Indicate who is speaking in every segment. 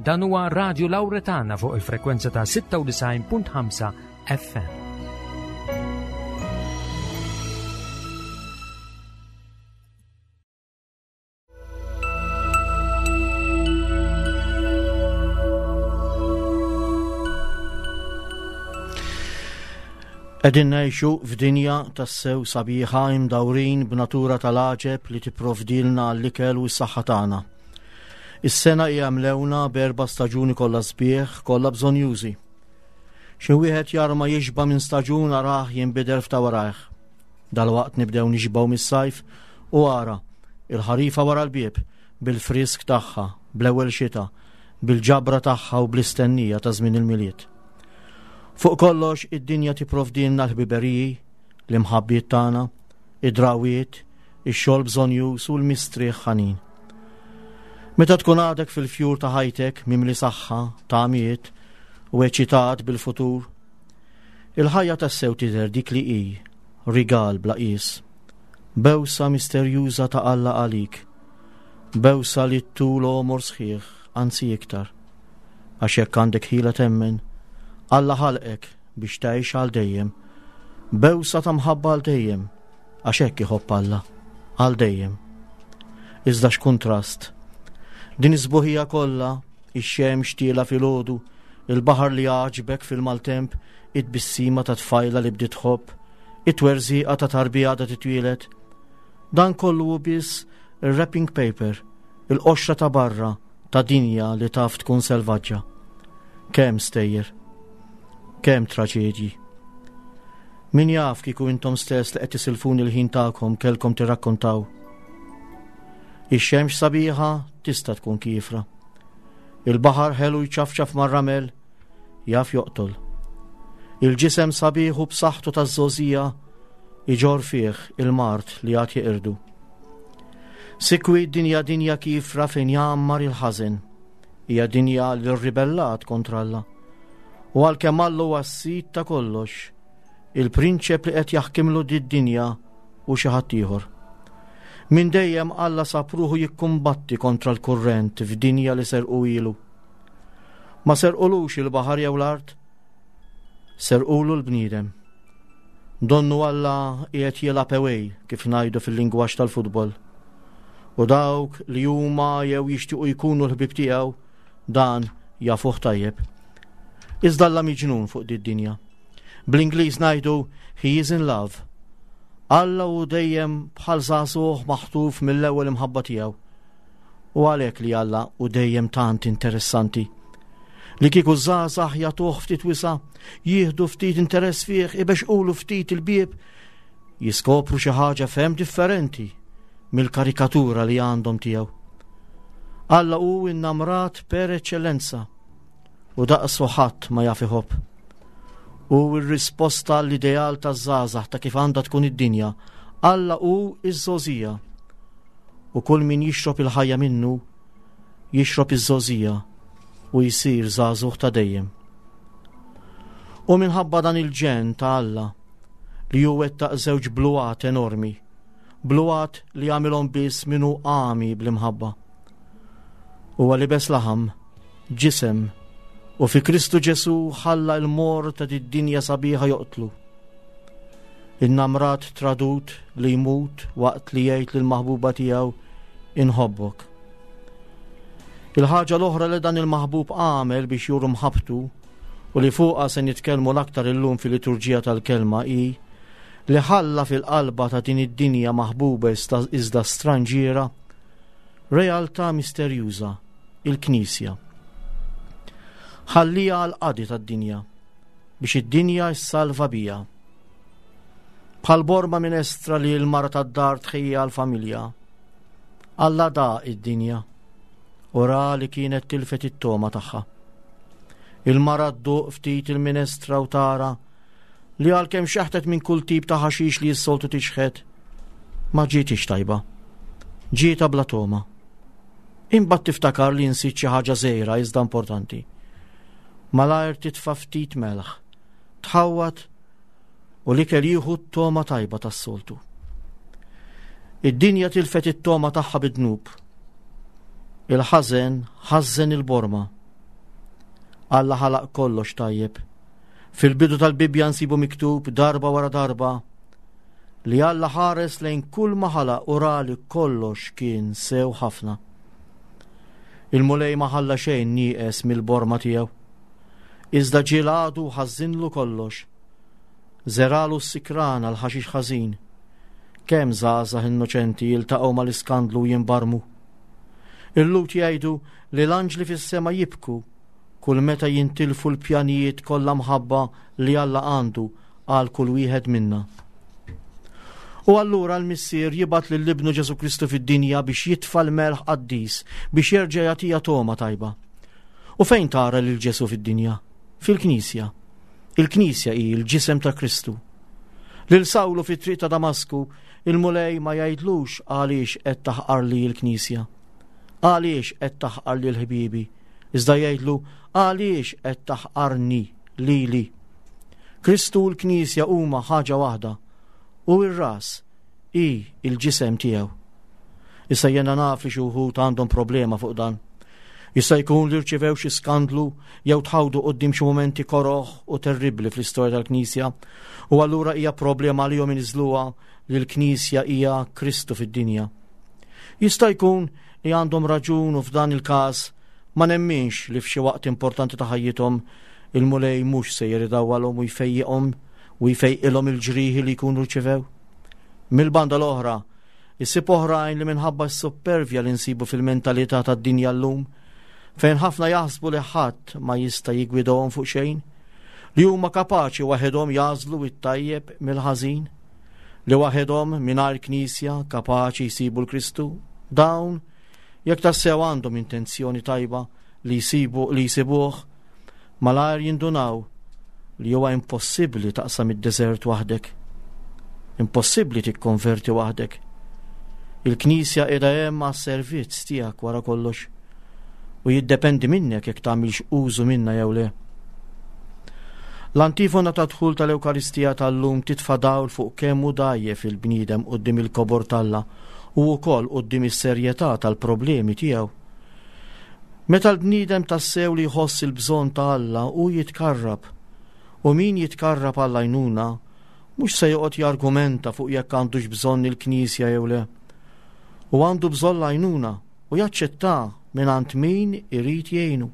Speaker 1: Dan huwa Radio Lauretana fuq il-frekwenza ta' 96.5 FM.
Speaker 2: Qegħdin ngħixu f'dinja tassew sabiħa imdawrin b'natura tal-għaġeb li tipprovdilna l-ikel u s-saħħa tagħna. Is-sena hija mlewna b'erba' staġuni kollha sbieħ, kollha bżonjużi. Xi wieħed jarma jixba' minn staġun arah jinbidel f'ta' warajh. Dalwaqt nibdew nixbgħu mis-sajf u ara, il-ħarifa wara l-bieb, bil-frisk tagħha, bl-ewwel xita, bil-ġabra tagħha u bl-istennija ta' żmien il-Milied. Fuq kollox, id-dinja tipprovdilna l-ħbiberiji, l-imħabbiet tagħna, id-drawiet, ix-xogħol bżonjuż u l-mistrieħ ħanin. Meta tkun għadek fil-fjur ta' ħajtek mimli saħħa, tamiet u eċitat bil-futur, il-ħajja tassew tidher dik li hi, rigal bla qies. Bewsa misterjuża ta' Alla għalik. Bewsa li tul għomor sħiħ, anzi iktar. Għax jekk għandek ħila temmen, Alla ħalqek biex tgħix għal dejjem. Bewsa ta' mħabba għal dejjem, għax hekk iħobb Alla, għal dejjem. Iżda x'kuntrast. Din is-sbuħija kollha, ix-xemx tiela filgħodu, il-baħar li għaġbek fil-maltemp, it-tbissima ta' tfajla li bdiet tħobb, it-twerżiqa ta' tarbija għadha titwieled. Dan kollu hu biss ir-wrapping paper, il-qoxra ta' barra ta' dinja li taf tkun selvaġġa. Kemm stejjer, kemm traġedji. Min jaf kieku intom stess li qed tisilfuni l-ħin tagħkom kellkom tirrakkontaw. Ix-xemx sabiħa tista' tkun kiefra. Il-baħar ħelu jċafċaf mar-ramel jaf joqtol. Il-ġisem sabiħ u b'saħħtu taż-żgħożija iġorr fih il-mard li għad jeqirdu. Sikwit dinja dinja kiefra fejn jgħammar il-ħażen. Hija dinja li rribellat kontra Alla. U għalkemm Alla huwa s-sid ta' kollox, il-prinċep li qed jaħkimlu did-dinja hu xi ħadd ieħor. Minn dejjem Alla sab ruħu jikkumbatti kontra l-kurrent f'dinja li serqu ilu. Ma serqulux il-baħar jew l-art, serqulu l-bniedem. Donnu Alla qiegħed jilgħab away kif ngħidu fil-lingwaġġ tal-futbol. U dawk li huma jew jixtiequ jkunu l-ħbieb tiegħu dan jafuh tajjeb. Iżda Alla miġnun fuq did-dinja. Bl-Ingliż ngħidu he is in love. Alla hu dejjem bħal żagħżugħ maħtuf mill-ewwel imħabba tiegħu. U għalhekk li Alla hu dejjem tant interessanti. Li kieku żgħażagħ jagħtuh ftit wisa, jieħdu ftit interess fih, ibexqulu ftit il-bieb, jiskopru xi ħaġa ferm differenti mill-karikatura li għandhom tiegħu. Alla hu innamrat per eċċellenza u daqsu ħadd ma jaf iħobb. U r-risposta l-ideal taż-żgħażagħ ta' kif għandha tkun id-dinja, Alla hu iż-żgħożija. U kull min jixrob il-ħajja minnu, jixrob iż-żgħożija u jsir żagħżugħ ta' dejjem. U minħabba dan il-ġenn ta' Alla li hu wettaq żewġ bluat enormi, bluat li għamilhom biss min hu għami bl-imħabba. Huwa libes laħam, ġisem, u fi Kristu Ġesù ħalla l-mor ta' did-dinja sabiħa joqtlu. Innamrat tradut li jmut waqt li jgħid lill-maħbuba tiegħu inħobbok. Il-ħaġa l-oħra li dan il-maħbub għamel biex juru mħabbtu u li fuqha se nitkellmu l-aktar illum fil-liturġija tal-kelma hi li ħalla fil-qalba ta' din id-dinja maħbuba iżda stranġiera realtà misterjuża, il-Knisja. Ħallija għal qadi tad-dinja biex id-dinja ssalva bija. Bħal borma minestra li l-mara tad-dar tħejja għall-familja. Alla da id-dinja u ra li kienet tilfet it-toma tagħha. Il-mara dduq ftit il-minestra u tara li għalkemm xeħtet minn kull tip ta' ħaxix li s-soltu tixħet, ma ġietix tajba. Ġieta bla toma. Imbagħad tiftakar li nsiet xi ħaġa żgħira iżda importanti. Malajr titfa' ftit melħ, tħawwad u l-ikel jieħu t-toma tajba tas-soltu. Id-dinja tilfet it-toma tagħha bid-dnub. Il-ħażen ħażżen il-borma. Alla ħalaq kollox tajjeb. Fil-bidu tal-Bibbja nsibu miktub darba wara darba li Alla ħares lejn kull ma ħalaq u ra li kollox kien sew ħafna. Il-Mulej ma ħalla xejn nieqes mill-borma tiegħu. Iżda ġie l-għadu ħażinlu kollox. Żeralu s-sikrana l-ħaxix ħażin. Kemm żgħażagħ innoċenti jiltaqgħu mal-iskandlu u jinbarmu. Il-Lhud jgħidu li l-anġli fis-sema jibku kull meta jintilfu l-pjanijiet kollha mħabba li Alla għandu għal kull wieħed minna. U allura l-Missier jibgħat lil Ibnu Ġesù Kristu fid-dinja biex jitfa' l-melħ qaddis biex jerġa' jagħtiha togħma tajba. U fejn tara lil Ġesù fid-dinja? Fil-Knisja. Il-Knisja hi l-ġisem ta' Kristu. Lil Sawlu fit-triq ta' Damasku, il-Mulej ma jgħidlux għaliex qed taħqar li l-Knisja. Għaliex qed taħqar lil ħbiebi? Iżda jgħidlu għaliex qed taħqarni lili. Kristu u l-Knisja huma ħaġa waħda u r-ras hi l-ġisem tiegħu. Issa jiena naf li xi wħud għandhom problema fuq dan. Jista' jkun li rċivew xi skandlu jew tħawdu quddiem xi mumenti koroh u terribbli fl-istorja tal-Knisja u allura hija problema għalihom iniżżluha li l-Knisja hija Kristu fid-dinja. Jista' jkun li għandhom raġun u f'dan il-każ ma nemminx li f'xi waqt importanti ta' ħajjithom il-Mulej mhux sejjer idawwalhom u jfejjiqhom u jfejqilhom il-ġrieħi li jkunu rċivew. Mill-banda l-oħra, issib oħrajn li minħabba s-suppervja li nsibu fil-mentalità tad-dinja llum, fejn ħafna jaħsbu li ħadd ma jista' jiggwidahom fuq xejn, li huma kapaċi waħedhom jagħżlu t-tajjeb mill-ħażin, li waħedhom mingħajr knisja kapaċi jsibu l-Kristu, dawn jekk tassew għandhom intenzjoni tajba li jsibu li jsibuh, malajr jindunaw li huwa impossibbli taqsam id-deżert waħdek. Impossibbli tikkonverti waħdek. Il-Knisja qiegħda hemm għas-servizz tiegħek wara kollox u jiddependi minnek jekk tagħmilx użu minnha jew le. L-antifona ta' dħul tal-Ewkaristija tal-lum titfa' dawl fuq kemm hu dgħajjef il-bniedem quddiem il-kobor t'Alla u wkoll quddiem is-serjetà tal-problemi tiegħu. Meta l-bniedem tassew li jħoss il-bżonn ta' Alla hu jitkarrab, u min jitkarrab għall-għajnuna mhux se joqgħod jargumenta fuq jekk għandux bżonn il-Knisja jew le. Hu għandu bżonn l-għajnuna u jaċċettha mingħand min irid jgħinu.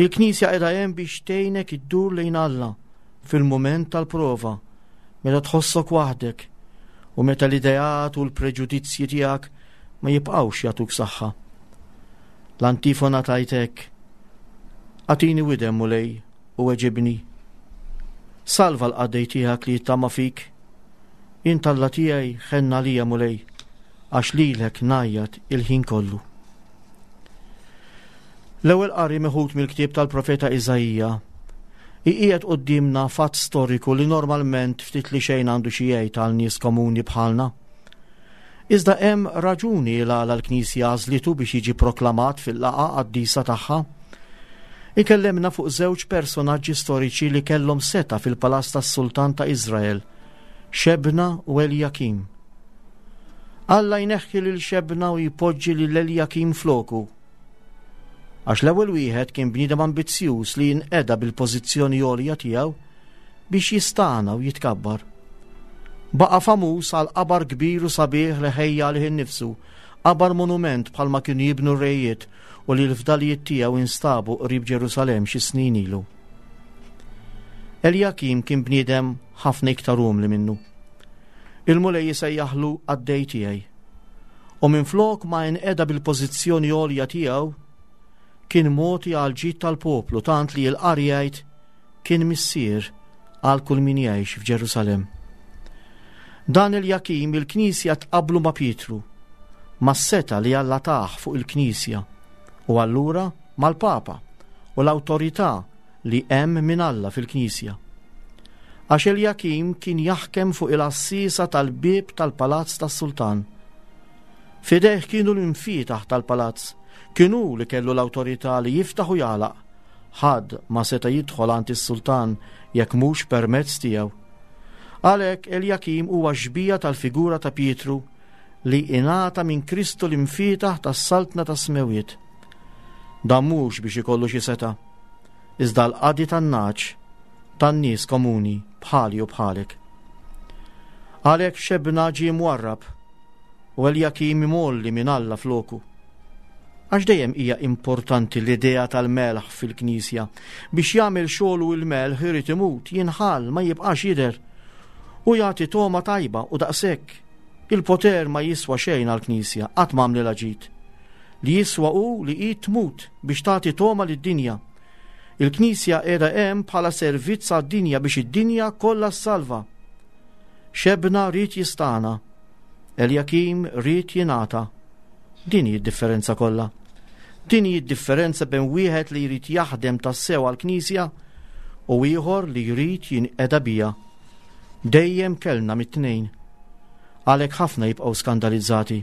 Speaker 2: Il-Knisja qiegħda hemm biex tgħinek iddur lejn Alla fil-mument tal-prova, meta tħossok waħdek u meta l-ideat u l-preġudizzji tiegħek ma jibqgħux jagħtuk saħħa. L-antifona tgħid hekk, Agħtini widen, Mulej, u weġibni. Salva l-qaddej tiegħek li jittama fik. Int Alla tiegħi, ħenn għalija, Mulej, għax lilek ngħajjat il-ħin kollu. L-ewwel qari meħud mill-ktieb tal-profeta Iżaija iqiegħed quddiemna fatt storiku li normalment ftit li xejn għandu xi jgħid għal nies komuni bħalna. Iżda hemm raġuni l għala l-Knisja għażlitu biex jiġi proklamat fil-laqgħa qaddisa tagħha. Ikellemna fuq żewġ personaġġi storiċi li kellhom setgħa fil-palazz tas-sultan ta' Iżrael, Xebna u Eljakim. Alla jneħħi lil Xebna u jpoġġi lil Eljakim floku. Għax l-ewwel wieħed kien bniedem ambizzjuż li jinqeda bil-pożizzjoni għolja tiegħu biex jistagħna u jitkabbar. Baqa' famuż għal qabar kbir u sabiħ li ħejja għalih innifsu, qabar monument bħalma kienu jibnu r-rejiet u li l-fdalijiet tiegħu instabu qrib Ġerusalemm xi snin ilu. Eljakim kien bniedem ħafna iktar umli minnu. Il-Mulej isejjaħlu qaddej tiegħi. U minflok ma inqeda bil-pożizzjoni għolja tiegħu, kien mogħti għall-ġid tal-poplu tant li l-qari jgħid kien missier għal kull min jgħix f'Ġerusalemm. Dan Eljakim il-Knisja tqabblu ma' Pietru, mas-setgħa li Alla tah fuq il-Knisja u allura mal-Papa u l-awtorità li hemm minn Alla fil-Knisja. Għax Eljakim kien jaħkem fuq il-għassiesa tal-bieb tal-palazz tas-sultan. F'idejh kienu l-imfietaħ tal-palazz, kien hu li kellu l-awtorità li jiftaħ u jagħlaq. Ħadd ma seta' jidħol għand is-sultan jekk mhux permezz tiegħu. Għalhekk Eljakim huwa xbieha tal-figura ta' Pietru li ingħata minn Kristu l-imfietaħ tas-saltna tas-smewwiet. Dan mhux biex ikollu xi setgħa. iżda l-qadi tan-nagħaġ tan-nies komuni bħali u bħalek. Għalhekk Xebna ġie mwarrab u Eljakim imgħolli minn Alla floku. Għax dejjem hija importanti l-idea tal-melħ fil-Knisja. Biex jagħmel xogħlu il-melħ irid imut, jinħall, ma jibqax jidher. U jagħti togħma tajba u daqshekk. Il-poter ma jiswa xejn għall-Knisja, qatt ma għamlilha ġid. Li jiswa hu li hi tmut biex tagħti togħma lid-dinja. Il-Knisja qiegħda hemm bħala servizz għad-dinja biex id-dinja kollha ssalva. Xebna ried jistagħna, Eljakim ried jingħata. Din hi d-differenza kollha. Din hi d-differenza bejn wieħed li jrid jaħdem tassew għall-Knisja u ieħor li jrid jinqeda biha. Dejjem kellna mit-tnejn. Għalhekk ħafna jibqgħu skandalizzati.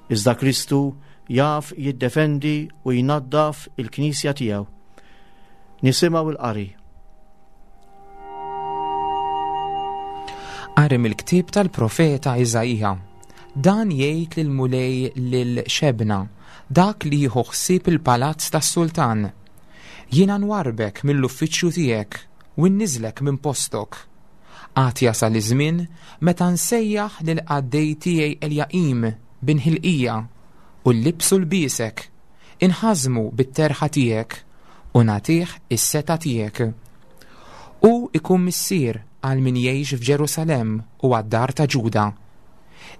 Speaker 2: Iżda Kristu jaf jiddefendi u jnaddaf il-Knisja tiegħu. Nisimgħu l-qari.
Speaker 3: Qari mill-ktieb tal-profeta Iżaija. Dan jgħid lill-Mulej lil Xebna, dak li jieħu ħsieb il-palazz tas-sultan. Jiena nwarrbek mill-uffiċċju tiegħek u nniżlek minn postok. Għad jasal iż-żmien meta nsejjaħ lill-qaddej tiegħi Eljaqim bin Ħilqija u llibsu lbiesek, inħażżmu bit-terħa tiegħek u nagħtih is-setgħa tiegħek. Hu jkun missier għal min jgħix f'Ġerusalemm u għad-dar ta' Ġuda.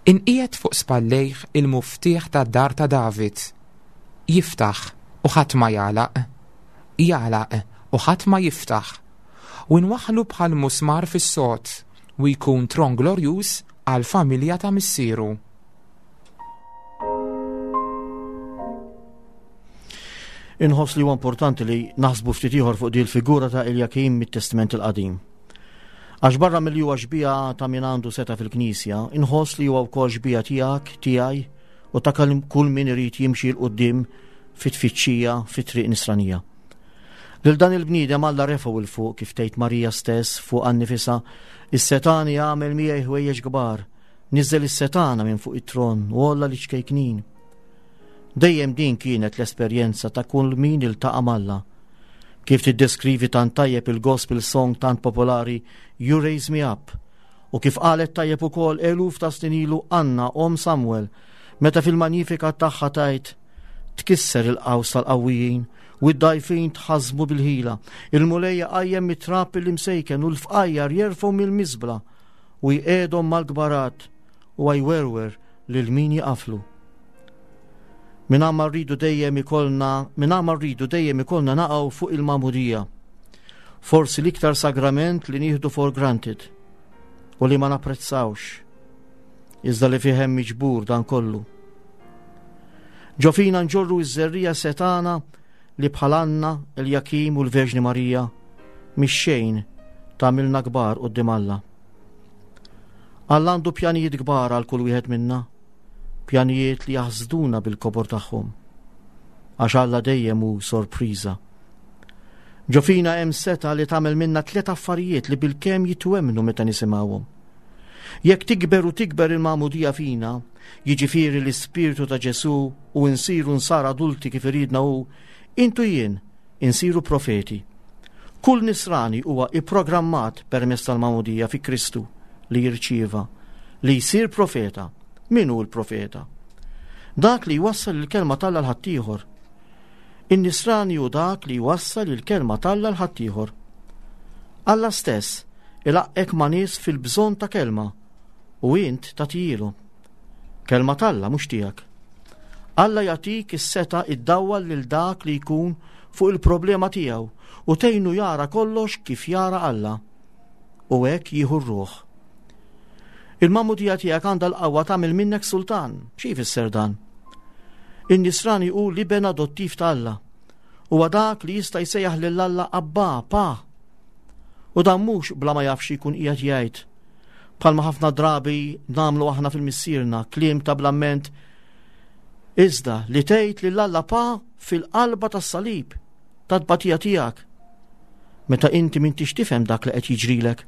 Speaker 3: Inqiegħed fuq spallejh il-muftieħ tad-dar ta' David. Jiftaħ u ħadd ma jagħlaq, jagħlaq u ħadd ma jiftaħ. U nwaħħlu bħal musmar fis-sod u jkun tron glorjuż għall-familja ta' missieru.
Speaker 2: Inħoss li huwa importanti li naħsbu ftit ieħor fuq din il-figura ta' Eljakim mit-Testament il-Qadim. Għax barra milli huwa xbieha ta' min għandu seta' fil-Knisja, inħoss li huwa wkoll xbieha tiegħek, tiegħi u ta' kull min irid jimxi 'l quddiem fit-tfittxija fit-triq nisranija. Lil dan il-bniedem Alla refgħu 'l fuq kif tgħid Marija stess fuqha nnifisha, is-setgħani għamel miegħi ħwejjeġ kbar, niżżel is-setgħana minn fuq it-tron u għolla liċ-ċkejknin. Dejjem din kienet l-esperjenza ta' kull min iltaqa' m'Alla. Kif tiddeskrivi tant tajjeb il-gospel song tant popolari You Raise Me Up u kif qalet tajjeb ukoll eluf ta' snin ilu Anna omm Samuel meta fil-Magnificat tagħha tgħid Tkisser il-qaws tal-qawwijin u d-dgħajfin tħażżmu bil-ħila. Il-Mulej iqajjem mit-trab il-imsejken u l-fqajjar jerfgħu mill-miżbla u jqiegħdhom mal-kbarat u jwerwer lil min jaqaflu. Mingħajr ma rridu dejjem ikollna, mingħajr ma rridu dejjem ikollna naqgħu fuq il-magħmudija. Forsi l-iktar sagrament li nieħdu for granted u li ma napprezzawx, iżda li fih hemm miġbur dan kollu. Ġo fina nġorru iż-żerrija setana li bħal Anna, Eljakim u l-Verġni Marija mix-xejn tagħmilna kbar quddiem Alla. Alla għandu pjanijiet kbar għal kull wieħed minna, pjanijiet li jaħsduna bil-kobor tagħhom. Għax Alla dejjem hu sorpriża. Ġo fina hemm setgħa li tagħmel minna tliet affarijiet li bilkemm jitwemmnu meta nisimgħuhom. Jekk tikber u tikber il-magħmudija fina, jiġifieri l-ispirtu ta' Ġesù u nsiru nsara adulti kif iridna hu, int u jien insiru profeti. Kull nisrani huwa ipprogrammat permezz tal-magħmudija fi Kristu li jirċieva li jsir profeta. Min hu l-profeta? Dak li jwassal il-kelma t'Alla 'l ħaddieħor. In-nisrani hu dak li jwassal il-kelma t'Alla 'l ħaddieħor. Alla stess ilaqqgħek ma' nies fil-bżonn ta' kelma u int tagħtihielhom. Kelma t'Alla mhux tiegħek. Alla jagħtik is-setgħa iddawwal lil dak li jkun fuq il-problema tiegħu u tgħinu jara kollox kif jara Alla. U hekk jieħu r-ruħ. Il-magħmudija tiegħek għandha l-qawwa tagħmel minnek sultan. Xi jfisser dan? In-nisrani hu l-iben adottiv ta' Alla. Huwa dak li jista' jsejjaħ lil Alla Abba, Pa. U dan mhux bla ma jaf xi jkun qiegħed jgħid. Bħalma ħafna drabi nagħmlu aħna fil-Missierna, kliem ta' blamment. Iżda li tgħid lil Alla Pa fil-qalba tas-salib, tat-tbatija tiegħek. Meta inti m'intix tifhem dak li qed jiġrilek.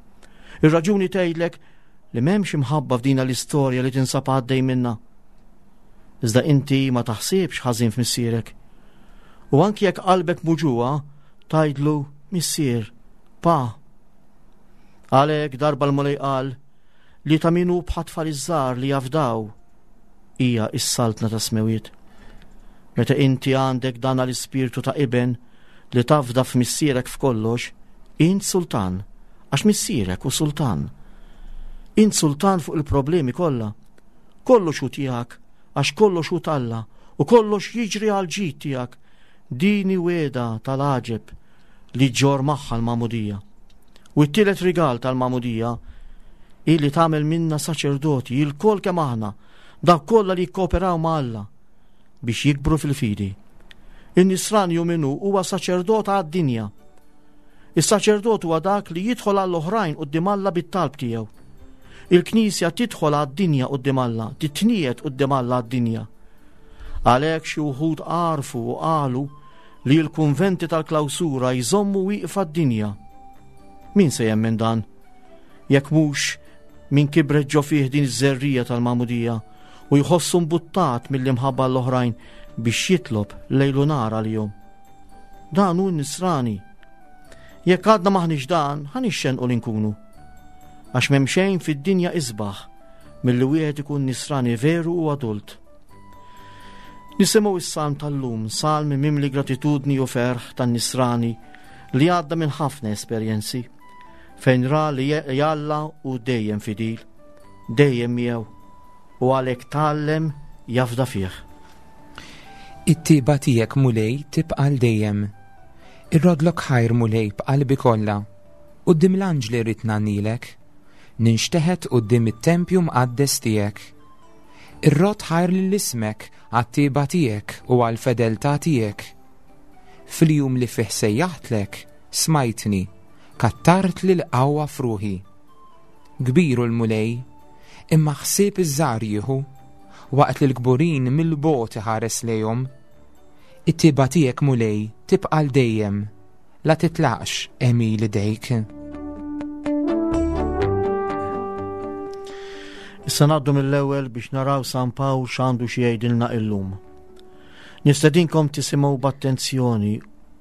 Speaker 2: Ir-raġuni tgħidlek li m'hemmx imħabba f'dina l-istorja li tinsab għaddej minnha. Iżda inti ma taħsibx ħażin f'missierek. U anki jekk qalbek muġugħa, Tgħidlu, Missier, Pa. Għalhekk darba l-Mulej qal li ta' min hu bħat-tfal iż-żgħar li jafdaw hija s-saltna tas-smewiet. Meta inti għandek dan l-ispirtu ta' iben li tafda f'missierek f'kollox, int sultan, għax missierek hu sultan. Int sultan fuq il-problemi kollha. Kollox hu tiegħek, għax kollox hu t'Alla, u kollox jiġri għal ġid tiegħek. Din hi wegħda tal-għaġeb li ġġorr magħha l-magħmudija. U t-tielet rigal tal-magħmudija hi li tagħmel minna saċerdoti ilkoll kemm aħna, dawk kollha li jikkooperaw ma' Alla biex jikbru fil-fidi. In-nisrani hu min hu huwa saċerdot għad-dinja. Is-saċerdot huwa dak li jidħol għall-oħrajn quddiem Alla bit-talb tiegħu. Il-Knisja tidħol għad-dinja quddiem Alla, titniegħed quddiem Alla għad-dinja. Għalhekk xi wħud għarfu u qalu li l-kunventi tal-klawsura jżommu wieqfa d-dinja. Min se jemmen dan? Jekk mhux min kibret ġo fih din iż-żerrija tal-magħmudija u jħossu mbuttat mill-imħabba l-oħrajn biex jitlob lejlu nar għalihom. Dan hu n-nisrani. Jekk għadna maħniex dan, ħa nixxenqu li nkunu. Għax m'hemm xejn fid-dinja isbaħ milli wieħed ikun nisrani veru u adult. Nisimgħu is-salm tal-lum, salm mimli gratitudni u ferħ tan-nisrani li għadda minn ħafna esperjenzi, fejn ra li Alla hu dejjem fidil, dejjem miegħu, u għalhekk tgħallem jafda fih.
Speaker 3: It-tiba tiegħek Mulej tibqa' għal dejjem. Irrodlok ħajr Mulej b'qalbi kollha. Quddiem l-anġli rrid ngħannilek. Ninxteħet quddiem it-tempju mqaddes tiegħek. Irrodd ħajr lil ismek għat-tieba tiegħek u għall-fedeltà tiegħek. Fil-jum li fih sejjaħtlek, smajtni, kattartli l-qawwa f'ruħi. Kbir hu l-Mulej, imma ħsieb iż-żgħar jieħu, waqt li l-kburin mill-bogħod iħares lejhom. It-tieba tiegħek, Mulej, tibqa' għal dejjem, la titlaqx għemil idejk.
Speaker 2: Issa ngħaddu mill-ewwel biex naraw San Pawl x'għandu xi jgħidilna illum. Nistedinkom tisimgħu b'attenzjoni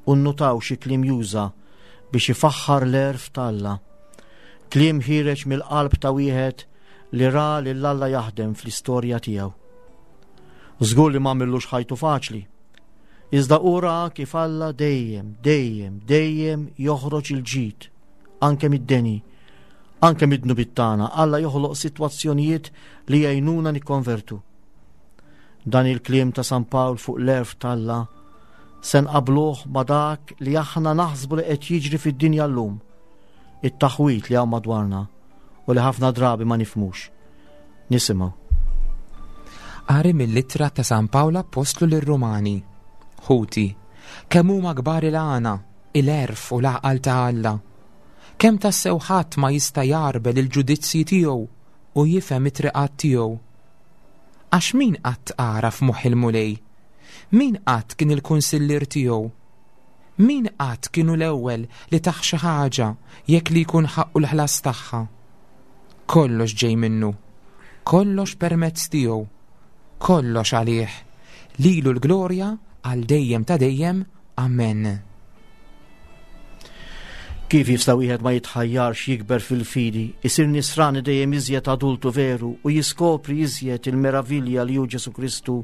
Speaker 2: u nnutaw xi kliem juża biex ifaħħar l-għerf t'Alla. Kliem ħiereġ mill-qalb ta' wieħed li ra lil Alla jaħdem fl-istorja tiegħu. Żgur li m'għamillux ħajtu faċli. Iżda hu ra kif Alla dejjem, dejjem, dejjem joħroġ il-ġid, anke mid-deni, anke mid-dnubiet tagħna, Alla joħloq sitwazzjonijiet li jgħinuna nikkonvertu. Dan il-kliem ta' San Pawl fuq l-għerf t'Alla se nqabluh ma' dak li aħna naħsbu li qed jiġri fid-dinja llum, it-taħwid li hawn madwarna u li ħafna drabi ma nifhmux. Nisimgħu.
Speaker 3: Qari mill-ittra ta' San Pawl Appostlu lir-Rumani. Ħuti, kemm huma kbar il-għana, il-għerf u l-għaqal ta' Alla! Kemm tassew ħadd ma jista' jgħarbel il-ġudizzji tiegħu u jifhem it-triqat tiegħu! Għax min qatt għaraf moħħ il-Mulej? Min qatt kien il-kunsillier tiegħu? Min qatt kien hu l-ewwel li tah xi ħaġa jekk li jkun ħaqqu l-ħlas tagħha? Kollox ġej minnu, kollox permezz tiegħu, kollox għalih. Lilu l-glorja għal dejjem ta' dejjem. Amen.
Speaker 2: Kif jista' wieħed ma jitħajjarx jikber fil-fidi, isir nisrani dejjem iżjed adultu veru u jiskopri iżjed il-meravilja li hu Ġesù Kristu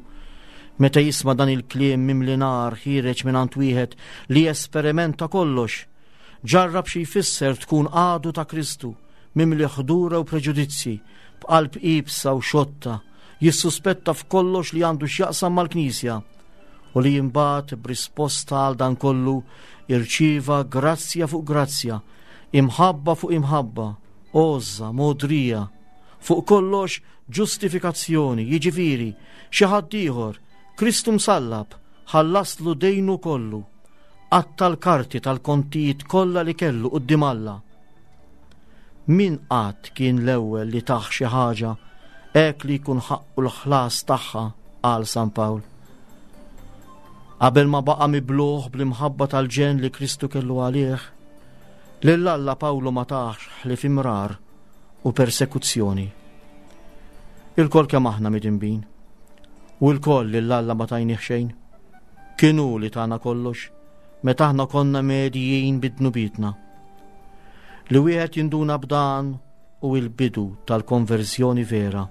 Speaker 2: meta jisma' dan il-kliem mimli nar ħiereġ mingħand wieħed li esperimenta kollox, ġarrab xi jfisser tkun għadu ta' Kristu, mimli ħdura u preġudizzji, b'qalb iebsa u xotta, jissuspetta f'kollox li għandu x'jaqsam mal-Knisja u li imbagħad b'risposta għal dan kollu irċieva grazzja fuq grazzja, imħabba fuq imħabba, għożża, mogħdrija, fuq kollox ġustifikazzjoni, jiġifieri xi ħadd ieħor, Kristu msallab, ħallaslu dejnu kollu, qatta' l-karti tal-kontijiet kollha li kellu quddiem Alla. Min qatt kien l-ewwel li tah xi ħaġa hekk li jkun ħaqqu l-ħlas tagħha, qal San Pawl. Qabel ma baqa' mibluh bl-imħabba tal-ġenn li Kristu kellu għalih, lil Alla Pawlu ma tahx ħlief imrar u persekuzzjoni. Ilkoll kemm aħna midinbin, u lkoll lil Alla ma tajnih xejn. Kien hu li tana kollox. meta aħna konna medijin bid-dnubietna. Li wieħed jinduna b'dan hu l-bidu tal-konverżjoni vera.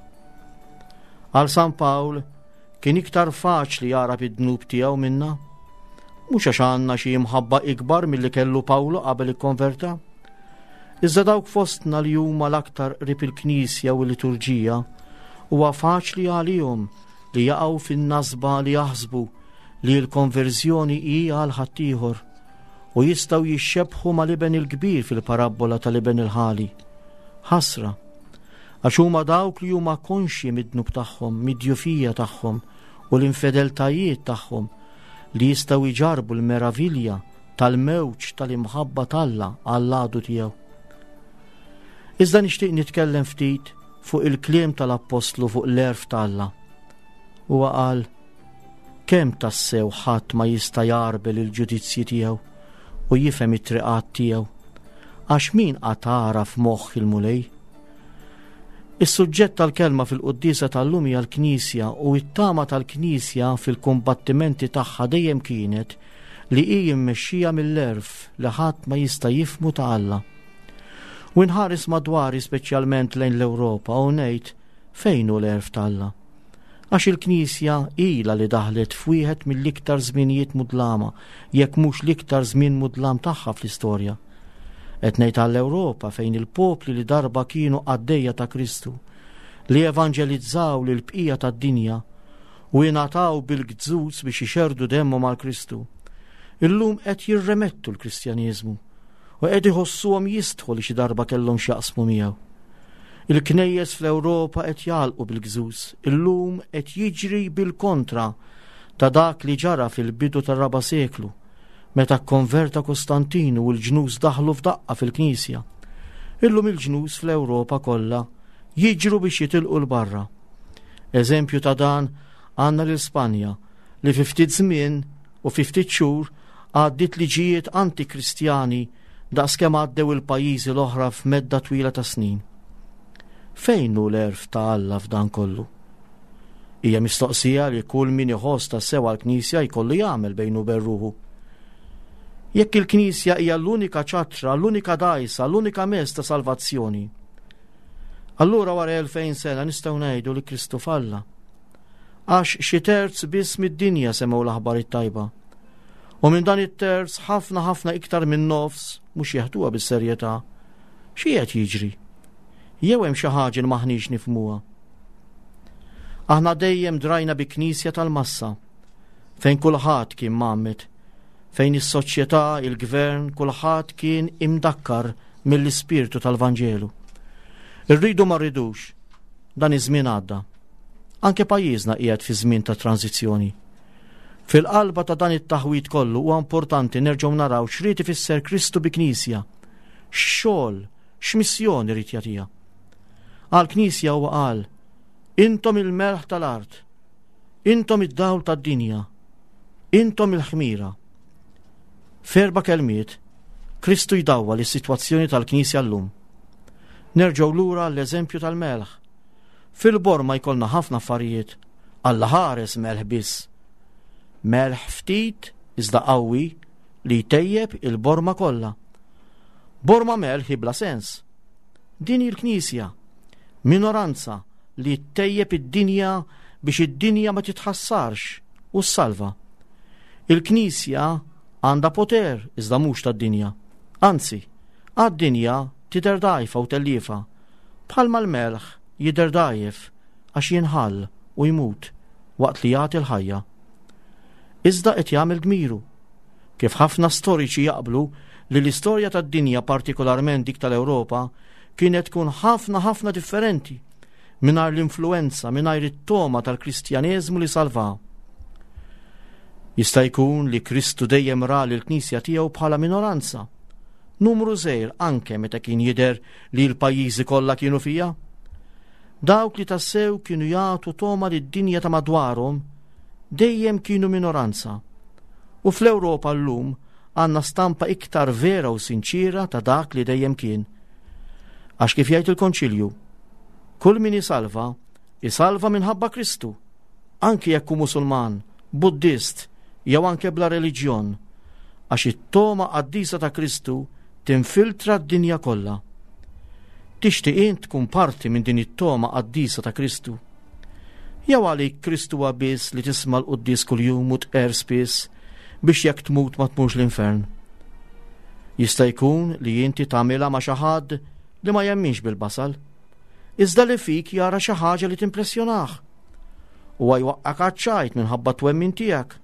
Speaker 2: Għal San Pawl kien iktar faċli jagħraf id-dnub tiegħu minna. Mhux għax għandna xi imħabba ikbar milli kellu Pawlu qabel ikkonverta. Iżda dawk fostna li huma l-aktar qrib il-Knisja u l-liturġija huwa faċli għalihom li jaqgħu fin-nasba li jaħsbu li l-konverżjoni hi għal ħaddieħor u jistgħu jixxebħu mal-iben il-kbir fil-parabbola tal-iben il-ħali. Ħasra, għax huma dawk li huma konxji mid-dnub tagħhom, mid-djufija tagħhom u l-infedeltajiet tagħhom li jistgħu jġarbu l-meravilja tal-mewġ tal-imħabba t'Alla għall-għadu tiegħu. Iżda nixtieq nitkellem ftit fuq il-kliem tal-Appostlu fuq l-għerf t'Alla. Huwa qal, Kemm tassew ħadd ma jista' jgħarbel il-ġudizzji tiegħu u jifhem it-triqat tiegħu, għax min qatt għaraf moħħ il-Mulej? Is-suġġett tal-kelma fil-quddiesa tal-lum hija l-Knisja u t-tama tal-Knisja fil-kumbattimenti tagħha dejjem kienet li hi mmexxija mill-għerf li ħadd ma jista' jifhmu ta' Alla. U nħares madwari speċjalment lejn l-Ewropa u ngħid fejn hu l-għerf ta' Alla? Għax il-Knisja ilha li daħlet f'wieħed mill-iktar żminijiet mudlama, jekk mhux l-iktar żmien mudlam tagħha fl-istorja. Qed ngħid għall-Ewropa fejn il-popli li darba kienu qaddejja ta' Kristu, li evanġelizzaw lill-bqija tad-dinja, u ingħataw bil-gzuz biex ixerrdu demmhom għal Kristu, illum qed jirremettu l-Kristjaneżmu u qed iħossuhom jistħu li xi darba kellhom x'jaqsmu miegħu. Il-knejjes fl-Ewropa qed jagħlqu bil-gżuż, illum qed jiġri bil-kontra ta' dak li ġara fil-bidu tar-raba' seklu, meta kkonverta Kostantinu u l-ġnus daħlu f'daqqa fil-Knisja. Illum il-ġnus fl-Ewropa kollha jiġru biex jitilqu 'l barra. Eżempju ta' dan għandna lil Spanja li fi ftit żmien u fi ftit xhur għaddiet liġijiet anti-Kristjani daqskemm għaddew il-pajjiżi l-oħra f'medda twila ta' snin. Fejn hu l-għerf ta' Alla f'dan kollu? Hija mistoqsija li kull min iħoss tassew għall-Knisja jkollu jagħmel bejnu u bejn ruħu. Jekk il-Knisja hija l-unika ċattra, l-unika dgħajsa, l-unika mezz ta' salvazzjoni, Allura wara 2000 sena nistgħu ngħidu li Kristu falla. Għax xi terz biss mid-dinja semgħu l-aħbar it-tajba. U minn dan it-terz ħafna ħafna iktar minn nofs mhux jeħduha bis-serjetà. Xi qed jiġri? Jew hemm xi ħaġa li maħniex nifhmuha? Aħna dejjem drajna bi knisja tal-massa fejn kulħadd kien mgħammed, fejn is-soċjetà, il-gvern, kulħadd kien imdakkar mill-ispirtu tal-Vanġelu. Irridu ma rridux, dan iż-żmien għadda. Anke pajjiżna qiegħed fi żmien ta' tranzizzjoni. Fil-qalba ta' dan it-taħwid kollu huwa importanti nerġgħu naraw x'ried ifisser Kristu bi Knisja, x'xogħol, x'missjoni ried jagħtiha. Għal Knisja huwa qal, intom il-melħ tal-art, intom id-dawl tad-dinja, intom il-ħmira. F'erba' kelmiet, Kristu jdawwal is-sitwazzjoni tal-Knisja llum. Nerġgħu lura għall-eżempju tal-melħ. Fil-borma jkollna ħafna affarijiet, Alla ħares melħ biss. Melħ ftit iżda qawwi li jtejjeb il-borma kollha. Borma melħ hi bla sens. Din hi l-Knisja, minoranza li ttejjeb id-dinja biex id-dinja ma titħassarx u ssalva. Il-Knisja għandha poter iżda mhux tad-dinja. Anzi, għad-dinja tidher dgħajfa u telliefa, bħalma l-melħ jidher dgħajjef għax jinħall u jmut waqt li jagħti l-ħajja. Iżda qed jagħmel dmiru. Kif ħafna storiċi jaqblu li l-istorja tad-dinja partikolarment dik tal-Ewropa kienet tkun ħafna ħafna differenti mingħajr l-influwenza, mingħajr it-togħma tal-Kristjaneżmu li salvaha. Jista' jkun li Kristu dejjem ra lill-Knisja tiegħu bħala minoranza, numru żgħir anke meta kien jidher li l-pajjiżi kollha kienu fiha. Dawk li tassew kienu jagħtu togħma lid-dinja ta' madwarhom dejjem kienu minoranza. U fl-Ewropa llum għandna stampa iktar vera u sinċiera ta' dak li dejjem kien. Għax kif jgħid il-Konċilju, kull min isalva, isalva minħabba Kristu, anki jekk hu Musulman, Buddist jew anke bla reliġjon. Għax it-togħma qaddisa ta' Kristu tinfiltra d-dinja kollha. Tixtieq int tkun parti minn din it-togħma qaddisa ta' Kristu? Jew għalik Kristu huwa biss li tisma' l-quddies kuljum u tqerr spiss biex jekk tmut ma tmurx l-infern? Jista' jkun li inti tagħmilha ma' xi ħadd li ma jemminx bil-basal, iżda li fik jara xi ħaġa li timpressjonah. Huwa jwaqqak għaċ-ċajt minħabba t-twemmin tiegħek.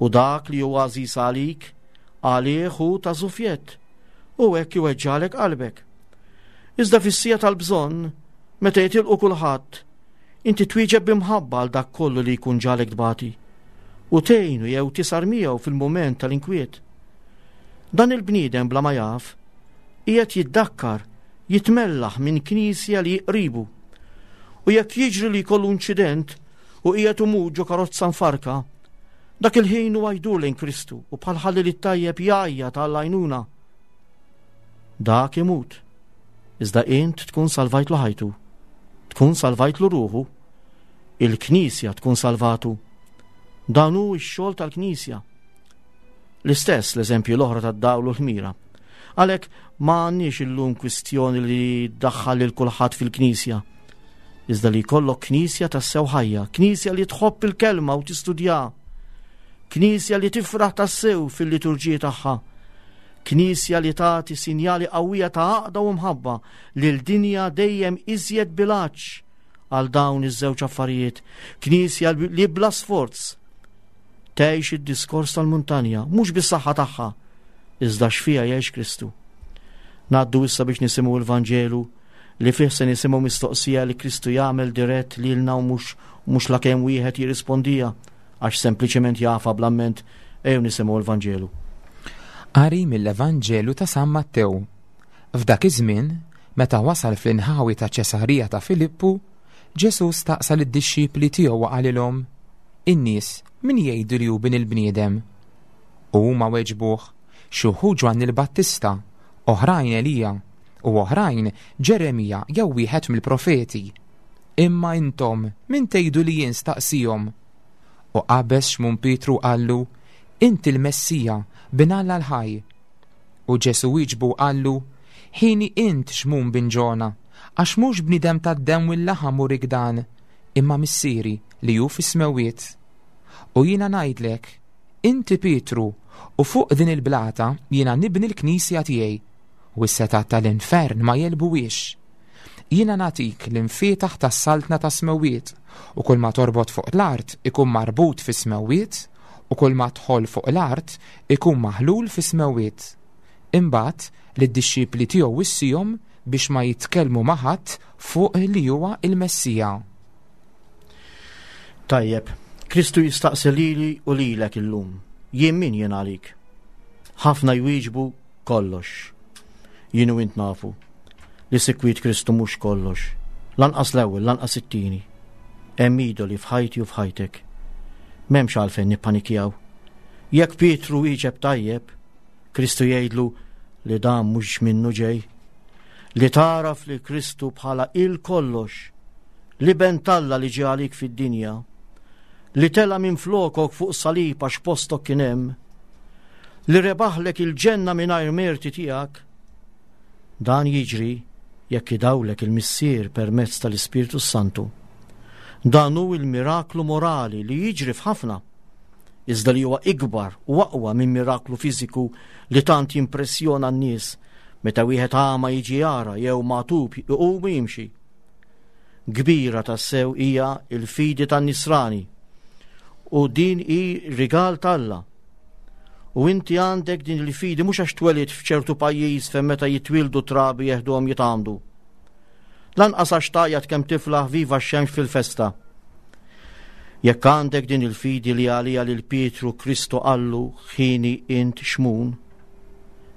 Speaker 2: U dak li hu għażiż għalik, għalih hu ta' żufjett, u hekk iweġġagħlek qalbek. Iżda fis-siegħa tal-bżonn, meta jitilqu kulħadd, inti twieġeb b'imħabba għal dak kollu li jkun ġagħlek tbati, u tgħinu jew tisar miegħu fil-mument tal-inkwiet. Dan il-bniedem bla ma jaf, qiegħed jiddakkar, jitmellaħ minn knisja li hi qribu. U jekk jiġri li jkollu inċident u qiegħed imut ġo karozza mfarka, dak il-ħin huwa jdur lejn Kristu u bħal ħallel it-tajjeb jgħajjat għall-għajnuna. Dak imut. Iżda int tkun salvajtlu ħajtu. Tkun salvajtlu ruħu. Il-Knisja tkun salvatu. Dan hu x-xogħol tal-Knisja. L-istess l-eżempji l-oħra tad-dawl u l-ħmira. Għalhekk ma għandniex illum kwistjoni li daħħal lil kulħadd fil-Knisja. Iżda li jkollok Knisja tassew ħajja, Knisja li tħobb il-kelma u tistudja, Knisja li tifraħ tassew fil-liturġiji tagħha, Knisja li tagħti sinjali qawwija ta' għaqda u mħabba lil dinja dejjem iżjed bilaċ għal dawn iż-żewġ affarijiet, Knisja li bla sforz Tgħix id-diskors tal-muntanja, mhux bis-saħħa tagħha, iżda x'fiha jgħix Kristu. Ngħaddu issa biex nisimgħu l-Vanġelu li fih se nisimgħu mistoqsija li Kristu jagħmel dirett lilna u mhux mhux lakemm wieħed jirrispondija għax sempliċement jafha bl-amment ejjew nisimgħu l-Vanġelu.
Speaker 3: Qari mill-Evanġelu ta' San Mattew. F'dak iż-żmien, meta wasal fl-inħawi ta' Ċesarija ta' Filippu, Ġesù staqsa lid-dixxipli tiegħu u qalilhom, In-nies min jgħidu li hu Bin il-bniedem? U huma weġbuh, Xi wħud Ġwanni l-Battista, oħrajn Elija, u oħrajn Ġeremija jew wieħed mill-profeti. Imma intom min tgħidu li jien staqsihom? U qabeż Xmun Pietru u qallu, Inti l-Messija, Bin Alla l-ħaj. U Ġesù wieġbu u qallu, Ħieni int Xmun bin Ġona, għax mhux bniedem tad-demm u l-laħam urik dan, imma Missieri li hu fis-smewwiet. U jiena ngħidlek, inti Pietru, u fuq din il-blata jiena nibni l-knisja tiegħi, u s-setgħat tal-infern ma jegħlbuhiex. Jiena nagħtik l-imfietaħ tas-saltna tas-smewwiet, u kull ma torbot fuq l-art ikun marbut fis-smewwiet, u kull ma tħoll fuq l-art ikun maħlul fis-smewwiet. Imbagħad lid-dixxipli tiegħu wissihom biex ma jitkellmu ma' ħadd fuq li huwa l-Messija.
Speaker 2: Tajjeb, Kristu jistaqsi lili u lilek illum, jien min jien għalik? Ħafna jwieġbu kollox. Jien u int nafu li sikwit Kristu mhux kollox, lanqas l-ewwel, lanqas it-tieni. Hemm idoli f'ħajti u f'ħajtek. M'hemmx għalfejn nippanikjaw. Jekk Pietru wieġeb tajjeb, Kristu jgħidlu li dan mhux minnu ġej. Li tagħraf li Kristu bħala il-kollox, l-Iben t'Alla li ġie għalik fid-dinja, li tela' minn flokok fuq salib għax postok kien hemm, li rebaħlek il-ġenna mingħajr merti tiegħek, dan jiġri jekk idawlek il-Missier permezz tal-Ispirtu s-Santu. Dan hu il-miraklu morali li jiġri f'ħafna iżda li huwa ikbar u aqwa minn miraklu fiżiku li tant jimpressjona n-nies meta wieħed għama jiġi jara jew magħtub iqum u jimxi. Kbira tassew hija l-fidi tan-nisrani u din hi rigal t'Alla. U inti għandek din il-fidi mhux għax twelidt f'ċertu pajjiż fejn meta jitwieldu trabi jeħduhom jitgħammdu. Lanqas għax tgħajjat kemm tiflaħ viva x-xemx fil-festa. Jekk għandek din il-fidi li għaliha lil Pietru Kristu qallu ħini int Xmun,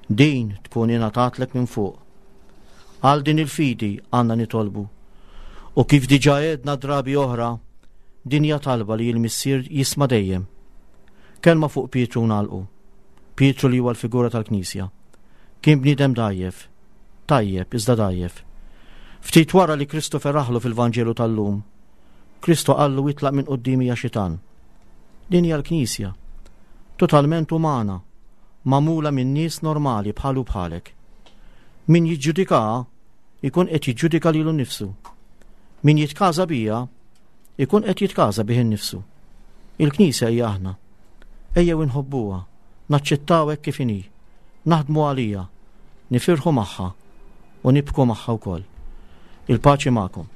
Speaker 2: din tkun ingħatatlek minn fuq. Għal din il-fidi għandna nitolbu. U kif diġà għedna drabi oħra, din hija talba li l-Missier jisma' dejjem. Kelma fuq Pietru nagħlqu. Pietru li huwa l-figura tal-Knisja. Kien bniedem dgħajjef, tajjeb iżda dgħajjef. Ftit wara li Kristu feraħlu fil-Vanġelu tal-lum, Kristu qallu itlaq minn quddiemi ja xitan. Din hija l-Knisja, totalment umana, magħmula minn nies normali bħalu bħalek. Min jiġġudikaha jkun qed jiġġudika lilu nnifsu. Min jitkaża bija jkun qed jitkaża bih innifsu. Il-Knisja hija aħna. Ejjew inħobbuha, naċċettaw hekk kif inhi, naħdmu għaliha, nifirħu magħha u nibku magħha wkoll. Il-paċi magħkom.